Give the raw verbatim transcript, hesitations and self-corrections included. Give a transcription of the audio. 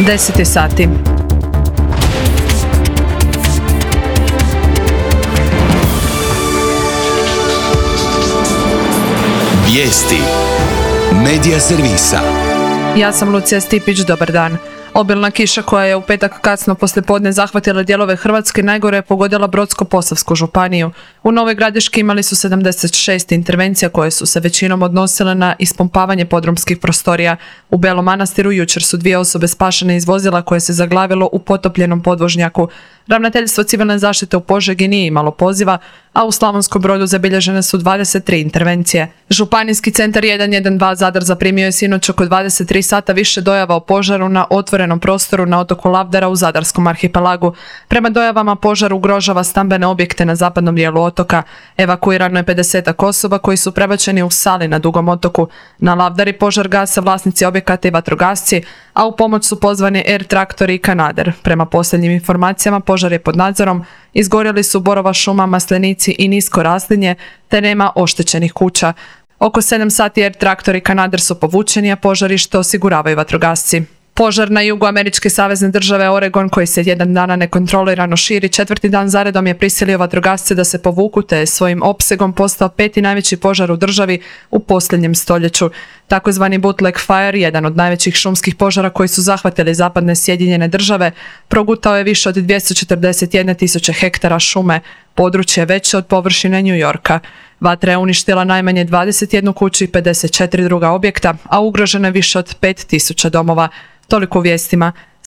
deset sati. Vijesti Medija servisa. Ja sam Lucija Stipić, dobar dan. Obilna kiša koja je u petak kasno poslijepodne zahvatila dijelove Hrvatske najgore je pogodila Brodsko-posavsku županiju. U Novoj Gradiški imali su sedamdeset šest intervencija koje su se većinom odnosile na ispumpavanje podrumskih prostorija. U Belom Manastiru jučer su dvije osobe spašene iz vozila koje se zaglavilo u potopljenom podvožnjaku. Ravnateljstvo civilne zaštite u Požegi nije imalo poziva, a u Slavonskom Brodu zabilježene su dvadeset tri intervencije. Županijski centar jedan jedan dva Zadar zaprimio je sinoć oko dvadeset tri sata više dojava o požaru na otvorenom prostoru na otoku Lavdara u Zadarskom arhipelagu. Prema dojavama požar ugrožava stambene objekte na zapadnom dijelu otoka. Evakuirano je pedeset osoba koji su prebačeni u sali na Dugom otoku. Na Lavdari požar gase vlasnici objekata i vatrogasci, a u pomoć su pozvani Air traktori i Kanader. Prema posljednjim informacijama požar je pod nadzorom, izgorjeli su borova šuma, maslenici i nisko raslinje, te nema oštećenih kuća. Oko sedam sati Air traktori i Kanader su povučeni, a požarište osiguravaju vatrogasci. Požar na jugu američke savezne države Oregon, koji se jedan dana nekontrolirano širi, četvrti dan zaredom je prisilio vatrogasce da se povuku, te je svojim opsegom postao peti najveći požar u državi u posljednjem stoljeću. Takozvani bootleg fire, jedan od najvećih šumskih požara koji su zahvatili zapadne Sjedinjene države, progutao je više od dvjesto četrdeset jedne tisuće hektara šume, područje veće od površine New Yorka. Vatra je uništila najmanje dvadeset jednu kuću i pedeset četiri druga objekta, a ugroženo je više od pet tisuća domova. Toliko u vijestima.